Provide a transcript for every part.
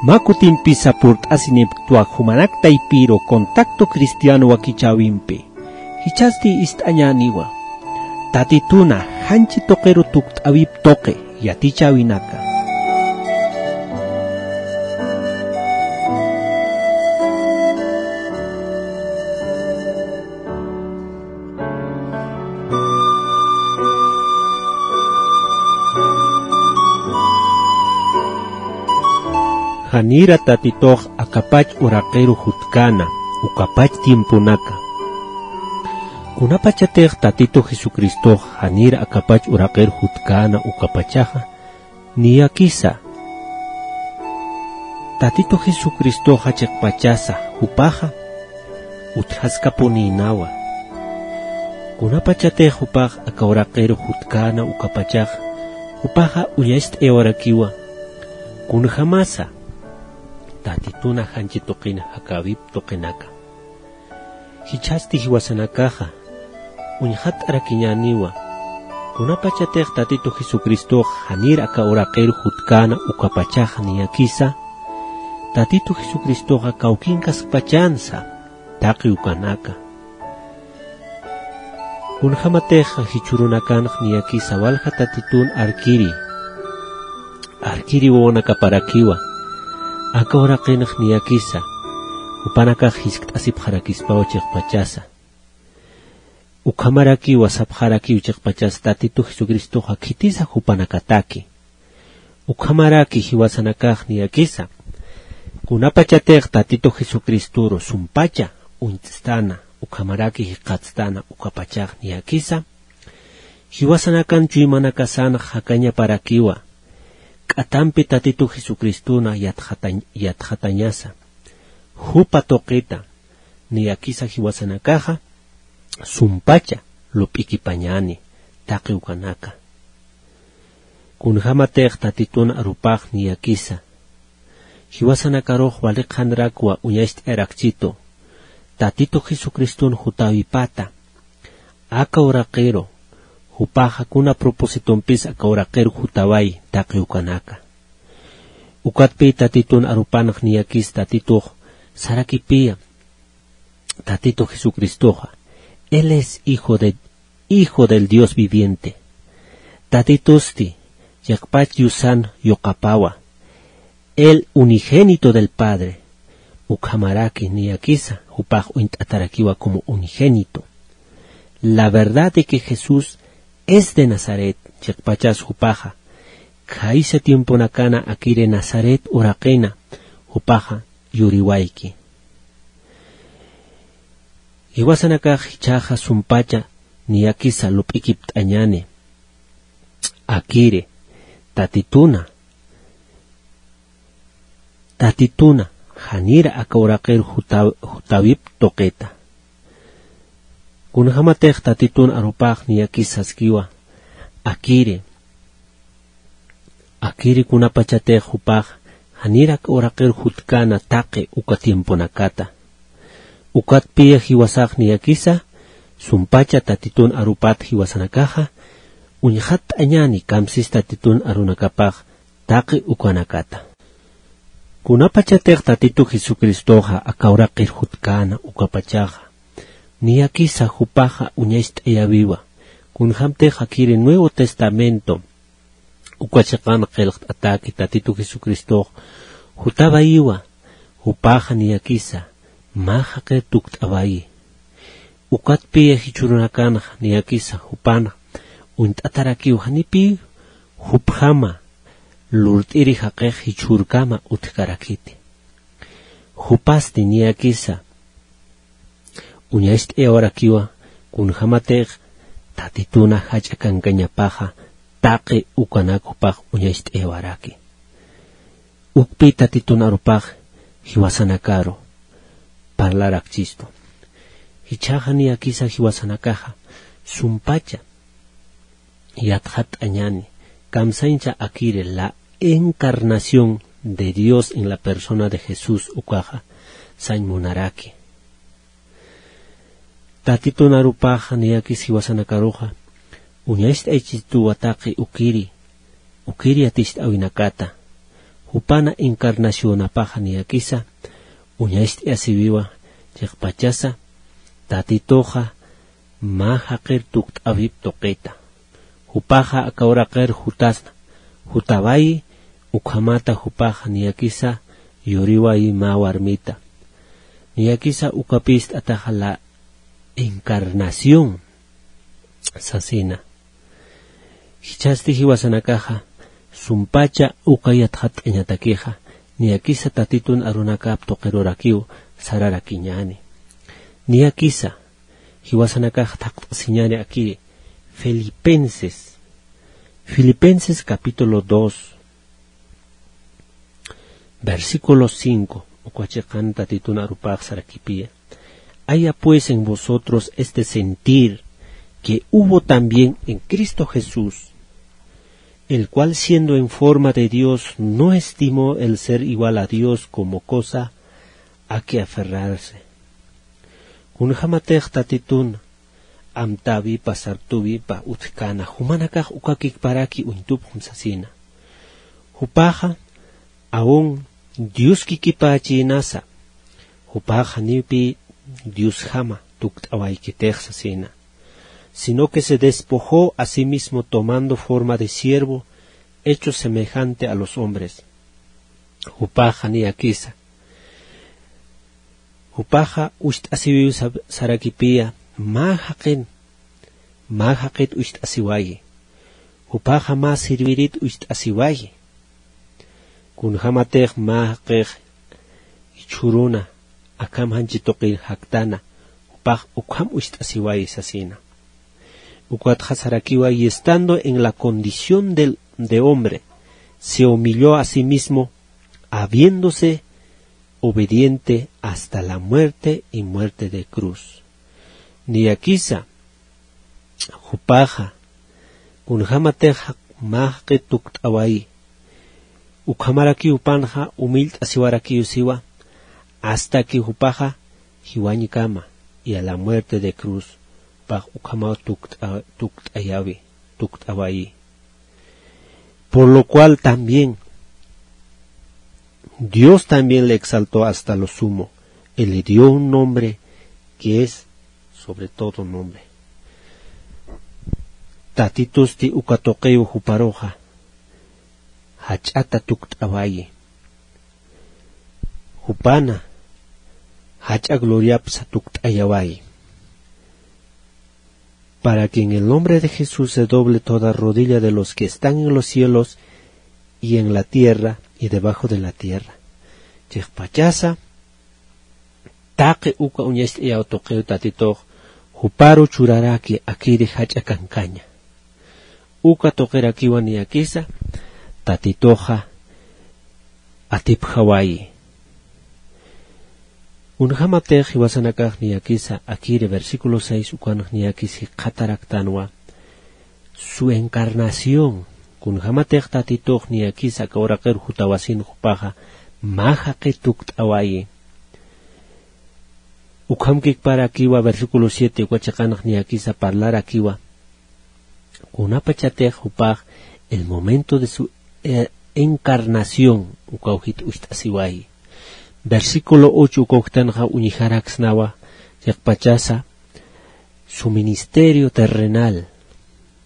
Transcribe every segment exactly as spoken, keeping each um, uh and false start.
Mä kutimpisa purt'asinipktwa jumanak taypiru Contacto Cristiano wakichäwimpi. Jichhasti ist'añäniwa Tatituna janchi tuqiru tukt'äwip tuqi yatichäwinaka. Janira Tatitux akapach uraqiru jutkäna, ukapach tiemponaka. Kunapachatix Tatitu Jesucristux janira akapach uraqiru jutkäna ukapachaxa, niyakisa. Tatitu Jesucristoxa chiqpachasa, jupaxa utjaskapunïnawa. Kunapachatix jupax aka uraqiru jutkäna ukapachaxa, jupaxa uñacht'ayawarakiwa. Kunjamasa, Tatituna janchi tuqin jakäwip tuqinaka. Jichhasti jiwasanakaxa, uñxatt'arakiñäniwa. Kunapachatix Tatitu Jesucristox janir aka uraqir jutkäna ukapachax niyakisa, Tatitu Jesucristoxa kawkinkaskpachänsa, taqi ukanaka. Kunjämatix jichhürunakanx niyakisa walja Tatitun arkiri, arkiri wawanakaparakiwa, aka uraqinx niyakisa, jupanakax jiskt'asipxarakispaw chiqpachasa. Ukhamarakiwa sapxarakiw chiqpachasa Tatitu Jesucristoxa khitisa jupanakataki. Ukhamaraki jiwasanakax niyakisa, kunapachatix Tatitu Jesucristoru sumpacha uñt'stana, ukhamaraki jikxatstana ukapachax niyakisa, jiwasanakan chuymanakasanx jakañaparakiwa, k'atampi Tatitu Jesucristona yatxatañ-, yatxatañasa. Jupa tuqita, niyakisa jiwasanakaxa, sumpacha lup'ikipañäni, taqi ukanaka. Kunjämatix Tatitun arupax niyakisa, jiwasanakarux wali qhanrakwa uñacht'ayarakchitu, Tatitu Jesucriston jutäwipata, aka uraqiru, jupaxa kuna propositompis aka uraqir jutaway, taqi ukanaka. Ukatpï Tatitun arupanx niyakis Tatitux, sarakipïya, Tatitu Jesucristoxa, Él es Hijo de, Hijo del Dios viviente. Tatitusti, chiqpach Diosan yuqapawa, el unigénito del Padre. Ukhamaraki niyakisa, jupax uñt'atarakiwa como unigénito. La verdad de que Jesús es de Nazaret, chiqpachas jupaxa, khaysa tiemponakana akiri Nazaret uraqina, jupaxa yuriwayki. Jiwasanakax jichhaxa sumpacha niyakisa lup'ikipt'añäni. Akiri, Tatituna, Tatituna, janira aka uraqir jutaw-, jutäwip tuqita. Kunjämatix Tatitun arupax niyakis saskiwa, akiri, akiri kunapachatix jupax janir aka uraqir jutkäna taqi uka tiemponakata. Ukatpï jiwasax niyakisa, sumpacha Tatitun arupat jiwasanakaxa, uñxatt'añäni kamsis Tatitun arunakapax taqi ukanakata. Kunapachatix Tatitu Jesucristoxa aka uraqir jutkäna ukapachaxa, niyakisa jupaxa uñacht'ayäwiwa, kunjämtix akiri Nuevo Testamento, uka chiqan qillqt'ataki Tatitu Jesucristox jutawayiwa, jupaxa niyakisa, mä jaqir tukt'awayi. Ukatpï jichhürunakanxa niyakisa jupanx uñt'atarakiw janipï jupjama lurt'iri jaqix jichhürkama utjkarakiti. Jupasti niyakisa uñacht'ayawarakiwa kunjämatix Tatituna jach'a kankañapaxa taqi ukanak jupax uñacht'ayawaraki. Ukpï Tatitun arupax jiwasanakaru parlarakchistu. Jichhaxa niyakisa jiwasanakaxa sumpacha yatxatt'añäni, kamsañcha akiri la encarnación de Dios en la persona de Jesús ukaxa sañ munaraki. Tatitun arupaxa niyakis jiwasanakaruxa uñacht'aychituwa taqi ukiri, ukiri yaticht'äwinakata. Jupana encarnacionapaxa niyakisa uñacht'ayasiwiwa, chiqpachasa Tatituxa mä jaqir tukt'äwip tuqita. Jupaxa aka uraqir jutasna, jutawayi, ukhamata jupaxa niyakisa yuriwayi mä warmita. Niyakisa ukapïst'ataxa la encarnación sasina. Jichhasti jiwasanakaxa sumpacha uka yatxatt'añatakixa, niyakisa Tatitun arunakap tuqirurakiw sararakiñäni. Niyakisa jiwasanakax thaqt'asiñäni akiri Filipenses, Filipenses capítulo dos, versículo cinco, uka chiqan Tatitun arupax sarakipïya. Haya pues en vosotros este sentir que hubo también en Cristo Jesús, el cual siendo en forma de Dios no estimó el ser igual a Dios como cosa a que aferrarse. Kunjamatix Tatitun amtäwipa, sartäwipa utjkäna, jumanakax ukakikparaki uñtupxam sasina. Jupaxa aun Dios kikipächïnasa, jupaxa janiwpï Diosjama tukt'awaykitix sasina, sino que se despojó a sí mismo tomando forma de siervo, hecho semejante a los hombres. Jupaxa niyakisa, jupaxa ucht'asiwiw sa-, sarakipïya, mä jaqin, mä jaqit ucht'asiwayi. Jupaxa mä servirit ucht'asiwayi. Kunjamatix mä jaqix jichhüruna, akham janchi tuqir jaktana, jupax ukham ucht'asiwayi sasina. Ukatxa sarakiwa, y estando en la condición del, de hombre, se humilló a sí mismo, habiéndose obediente hasta la muerte y muerte de cruz. Niyakisa, jupaxa, kunjamatix mä jaqit tukt'awayi, ukhamarakiw jupanxa humillt'asiwarakiw siwa, hasta que jupaxa jiwañkama, y a la muerte de cruz, jupax ukhamaw tukt'a-, tukt'ayawi, tukt'awayi. Por lo cual también Dios también le exaltó hasta lo sumo, y le dio un nombre que es sobre todo nombre. Tatitusti uka tuqiw juparuxa jach'ata tukt'awayi. Jupana jach'a gloriapsa tukt'ayawayi. Para que en el nombre de Jesús se doble toda rodilla de los que están en los cielos y en la tierra y debajo de la tierra. Chiqpachasa taqi uka uñacht'ayaw tuqiw Tatitux juparu churaraki akiri jach'a kankaña. Uka tuqirakiwa niyakisa Tatituxa atipjawayi. Kunjamatix jiwasanakax niyakisa akiri versículo seis ukanx niyakis jikxataraktanwa su encarnación. Kunjamatix Tatitux niyakisa aka uraqir jutawasin jupaxa mä jaqi tukt'awayi. Ukhamkikparakiwa versículo siete uka chiqanx niyakisa parlarakiwa. Kunapachatix jupax el momento de su, eh, encarnación, ukaw jit ucht'asiwayi. Versículo ocho ukaw jitanxa uñjaraksnawa, chiqpachasa su ministerio terrenal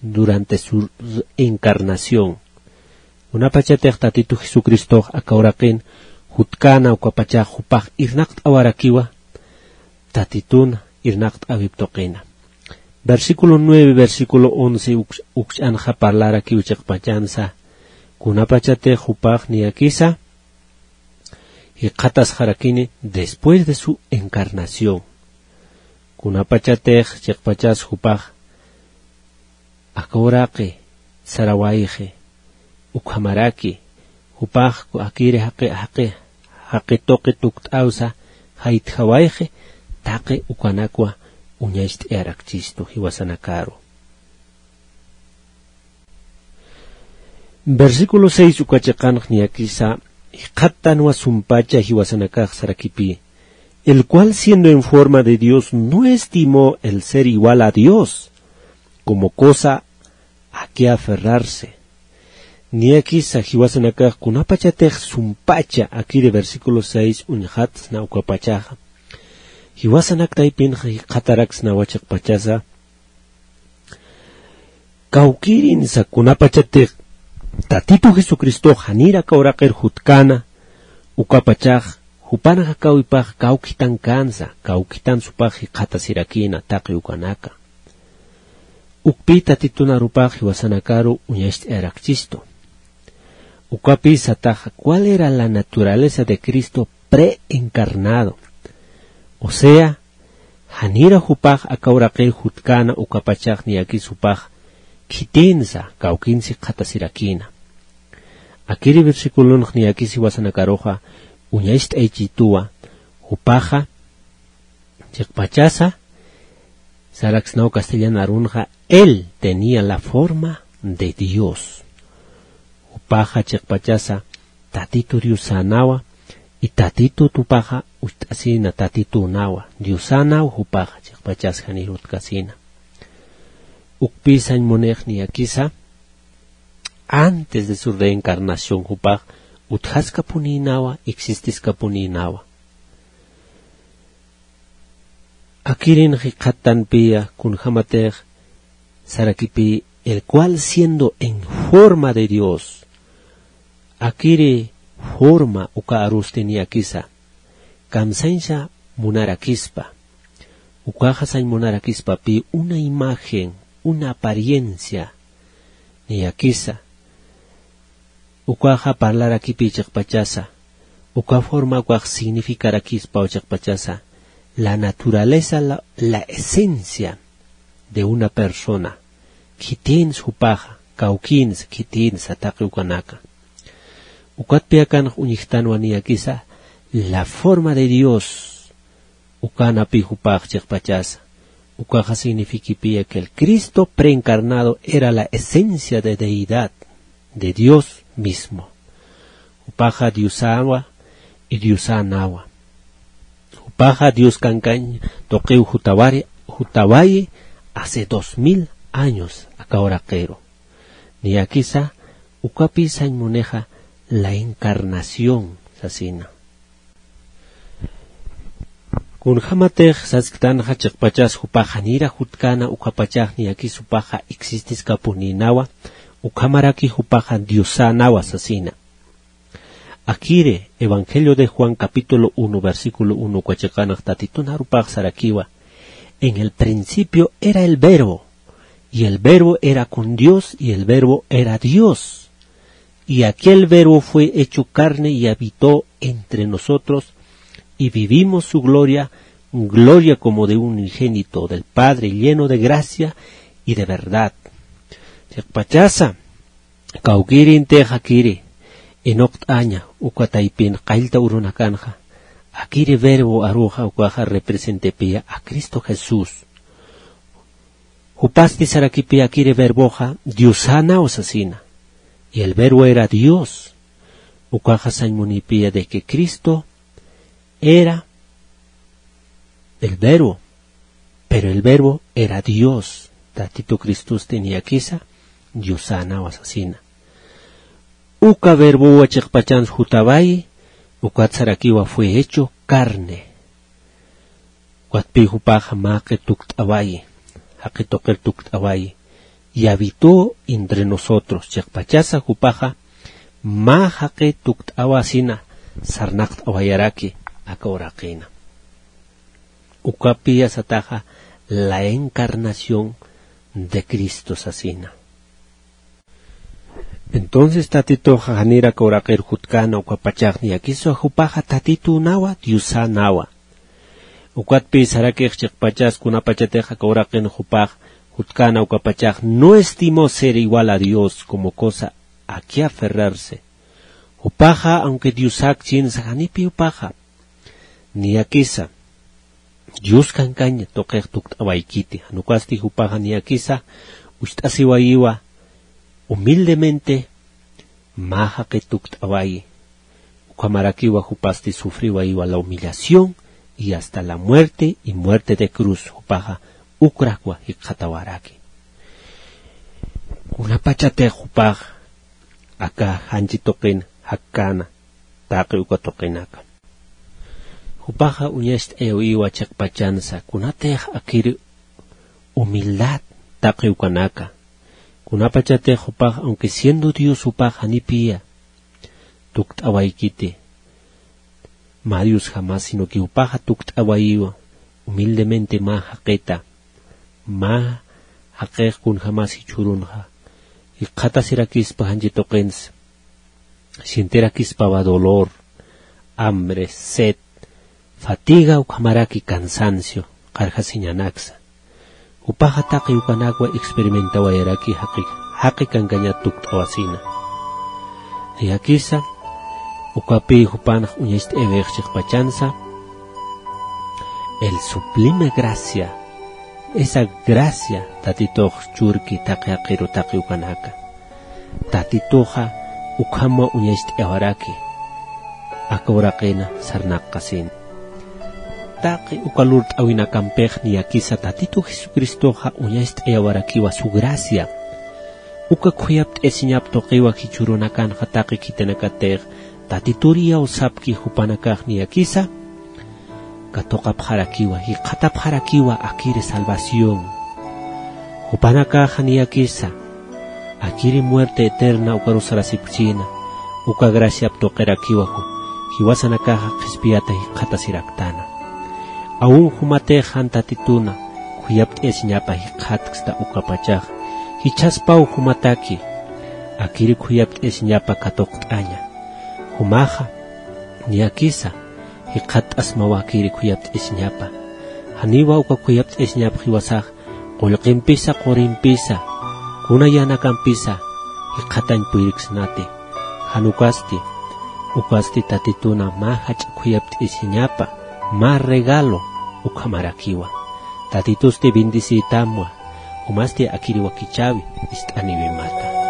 durante su encarnación. Kunapachatix Tatitu Jesucristox aka uraqin jutkäna ukapachax jupax irnaqt'awarakiwa, Tatitun irnaqt'äwip tuqina. Versículo nueve, versículo once uk-, ukch'anxa parlarakiw chiqpachansa, kunapachatix jupax niyakisa jikxatasxarakini después de su encarnación. Kunapachatix chiqpachas jupax aka uraqi sarawayxi, ukhamaraki jupax akiri jaqi, jaqi, jaqi tuqi tukt'awsa jaytjawayxi, taqi ukanakwa uñacht'ayarakchistu jiwasanakaru. Versículo seis uka chiqanx niyakisa jikxattanwa sumpacha jiwasanakax sarakipï, el cual siendo en forma de Dios no estimó el ser igual a Dios como cosa a qué aferrarse. Niyakisa jiwasanakax kunapachatix sumpacha akiri versículo seis uñxatsna ukapachaxa. Jiwasanak taypinxa jikxataraksnawa chiqpachasa. Kawkirinsa kunapachatix Tatitu Jesucristox janir aka uraqir jutkäna, ukapachax jupan jakäwipax kawkitankänsa, kawkitansa jupax jikxatasirakïna taqi ukanaka. Ukpï Tatitun arupax jiwasanakaru uñacht'ayarakchistu. Ukapï sataxa, ¿cuál era la naturaleza de Cristo preencarnado? O sea, janira jupax aka uraqir jutkäna ukapachax niyakis jupax khitïnsa, kawkïnsa jikxatasirakïna. Akiri versiculonx niyakis jiwasanakaruxa uñacht'ayachistuwa, jupaxa chiqpachasa, saraksnaw castellan arunxa, él tenía la forma de Dios. Jupaxa chiqpachasa Tatitu Diosänawa, y Tatitu tupaxa ucht'asina Tatitünawa, Diosänaw jupaxa chiqpachasa janir utkasina. Ukpï sañ munix niyakisa, antes de su reencarnación jupax utjaskapunïnawa, existiskapunïnawa. Akirin jikxattanpïya kunjämatix sarakipï, el cual siendo en forma de Dios, akiri forma uka arusti niyakisa, kamsañsa munarakispa, ukaxa sañ munarakispapï una imagen, una apariencia, niyakisa, ukaxa parlarakipï chiqpachasa, uka forma ukax significarakispaw chiqpachasa, la naturaleza, la, la esencia de una persona, khitïns jupaxa, kawkïns, khitïnsa taqi ukanaka. Ukatpï akanx uñjtanwa niyakisa, la forma de Dios, ukanapï jupax chiqpachasa. Ukaxa signifiquipïya que el Cristo preencarnado era la esencia de deidad, de Dios mismo. Jupaxa Diosawa y Diosänawa. Jupaxa Dios kankañ tuqiw jutawari, jutawayi hace dos mil años aka uraqiru. Niyakisa, ukapï sañ munixa la encarnación sasina. Kunjämatix sasktanxa chiqpachas jupax janira jutkäna ukapachax niyakis jupaxa existiskapunïnawa, ukhamaraki jupaxa Diosänawa sasina. Akiri Evangelio de Juan capítulo uno, versículo uno uka chiqanax Tatitun arupax sarakiwa: En el principio era el Verbo, y el Verbo era con Dios, y el Verbo era Dios. Y aquel Verbo fue hecho carne y habitó entre nosotros, y vivimos su gloria, gloria como de un unigénito del Padre, lleno de gracia y de verdad. Chiqpachasa, kawkïrintix akiri inuqt'aña uka taypin qallta urunakanxa, akiri Verbo aruxa ukaxa representipïya a Cristo Jesús. Jupasti sarakipï akiri Verboxa Diosänaw sasina. Y el Verbo era Dios. Ukaxa sañ munipïya de que Cristo era el Verbo, pero el Verbo era Dios. Tatitu Cristosti niyakisa Diosänawa sasina. Uka Verbowa chiqpachans jutawayi, ukat sarakiwa fue hecho carne. Ukatpï jupaxa mä jaqi tukt'awayi, jaqi tuqir tukt'awayi. Y habitó entre nosotros, chiqpachasa jupaxa mä jaqi tukt'awasina sarnaqt'awayaraki aka uraqina. Ukapïya sataxa la encarnación de Cristo sasina. Entonces Tatituxa janir aka uraqir jutkäna ukapachax niyakisa jupaxa Tatitünawa, Diosänawa. Ukatpï sarakix chiqpachas kunapachatix aka uraqin jupax jutkäna ukapachax no estimó ser igual a Dios como cosa a que aferrarse. Jupaxa, aunque Diosäkchinsa, janipï jupaxa niyakisa Dios kankañ tuqix tukt'awaykiti, jan ukasti jupaxa niyakisa ucht'asiwayiwa humildemente mä jaqi tukt'awayi. Ukhamarakiwa jupasti sufriwayiwa la humillación y hasta la muerte y muerte de cruz, jupaxa ukrakwa jikxatawaraki. Kunapachatix jupax aka janchi tuqin jakkäna, taqi uka tuqinaka. Jupaxa uñacht'ayawiwa chiqpachansa, kunatix akir humildad taqi ukanaka. Kunapachatix jupax, aunque siendo Dios jupax janipiya tukt'awaykiti, mä Diosjamas, sino que jupaxa tukt'awayiwa humildemente mä jaqita, mä jaqix kunjamas jichhürunxa jikxatasirakispa janchi tuqinsa, sientirakispawa dolor, hambre, sed, fatiga, ukhamaraki cansancio qarjasiñanaksa. Jupaxa taqi ukanakwa experimentawayaraki jaqi, jaqi kankañat tukt'awasina. Niyakisa, ukapï jupanx uñacht'ayawayx chiqpachansa, el sublime gracia, esa gracia Tatitux churki taqi jaqiru taqi ukanaka. Tatituxa ukhama uñacht'ayawaraki, aka uraqina sarnaqasina. Taqi uka lurt'awinakampix niyakisa Tatitu Jesucristoxa uñacht'ayawarakiwa su gracia. Uka khuyapt'ayasiñap tuqiwa jichhürunakanxa taqi khitinakatix Tatitur iyawsapki jupanakax niyakisa katuqapxarakiwa, jikxatapxarakiwa akiri salvación. Jupanakaxa niyakisa akiri muerte eterna ukaru sarasipksina, uka graciap tuqirakiwa ju-, jiwasanakaxa qhispiyata jikxatasiraktana. Aun jumatix jan Tatituna khuyapt'ayasiñapa jikxatksta ukapachax, jichhaspaw jumataki akiri khuyapt'ayasiñapa katuqt'aña. Jumaxa niyakisa jikxatt'asmawa akiri khuyapt'ayasiñapa. Janiwa uka khuyapt'ayasiñap jiwasax qullqimpisa, qurimpisa, kuna yänakampisa jikxatañ puyirksnati. Jan ukasti, ukasti Tatituna mä jach'a khuyapt'ayasiñapa, mä regalo ukhamarakiwa. Tatitusti bendeciytamwa, jumasti akiri wakichäwi ist'aniwimata.